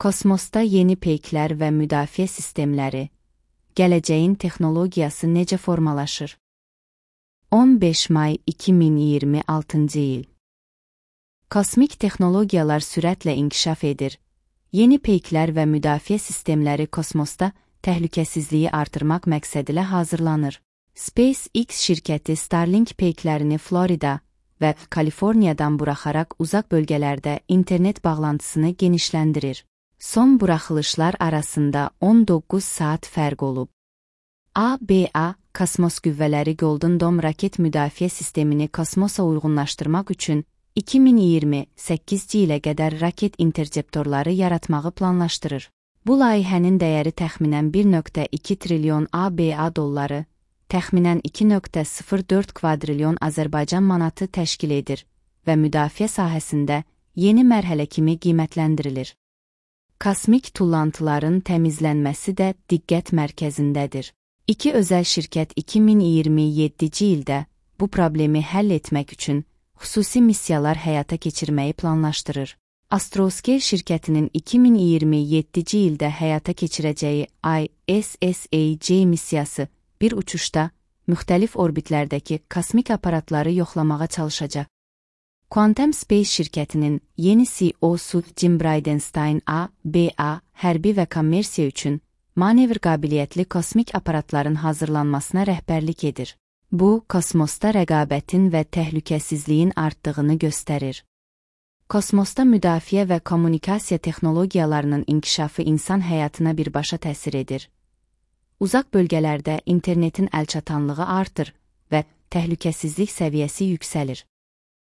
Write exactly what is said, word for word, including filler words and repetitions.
Kosmosda yeni peyklər və müdafiə sistemləri, gələcəyin texnologiyası necə formalaşır? on beş may iki min iyirmi altıncı il. Kosmik texnologiyalar sürətlə inkişaf edir. Yeni peyklər və müdafiə sistemləri kosmosda təhlükəsizliyi artırmaq məqsədilə hazırlanır. SpaceX şirkəti Starlink peyklərini Florida və Kaliforniyadan buraxaraq uzaq bölgələrdə internet bağlantısını genişləndirir. Son buraxılışlar arasında on doqquz saat fərq olub. A B A Kosmos Qüvvələri Golden Dome raket müdafiə sistemini kosmosa uyğunlaşdırmaq üçün iki min iyirmi səkkizinci ilə qədər raket interceptorları yaratmağı planlaşdırır. Bu layihənin dəyəri təxminən bir nöqtə iki trilyon A B A dolları, təxminən iki nöqtə sıfır dörd kvadrilyon Azərbaycan manatı təşkil edir və müdafiə sahəsində yeni mərhələ kimi qiymətləndirilir. Kosmik tullantıların təmizlənməsi də diqqət mərkəzindədir. İki özəl şirkət iki min iyirmi yeddinci ildə bu problemi həll etmək üçün xüsusi missiyalar həyata keçirməyi planlaşdırır. Astroscale şirkətinin iki min iyirmi yeddinci ildə həyata keçirəcəyi I S S A J missiyası bir uçuşda müxtəlif orbitlərdəki kosmik aparatları yoxlamağa çalışacaq. Quantum Space şirkətinin yeni C E O-su Jim Bridenstine A B A hərbi və kommersiya üçün manevr qabiliyyətli kosmik aparatların hazırlanmasına rəhbərlik edir. Bu, kosmosda rəqabətin və təhlükəsizliyin artdığını göstərir. Kosmosda müdafiə və kommunikasiya texnologiyalarının inkişafı insan həyatına birbaşa təsir edir. Uzaq bölgələrdə internetin əlçatanlığı artır və təhlükəsizlik səviyyəsi yüksəlir.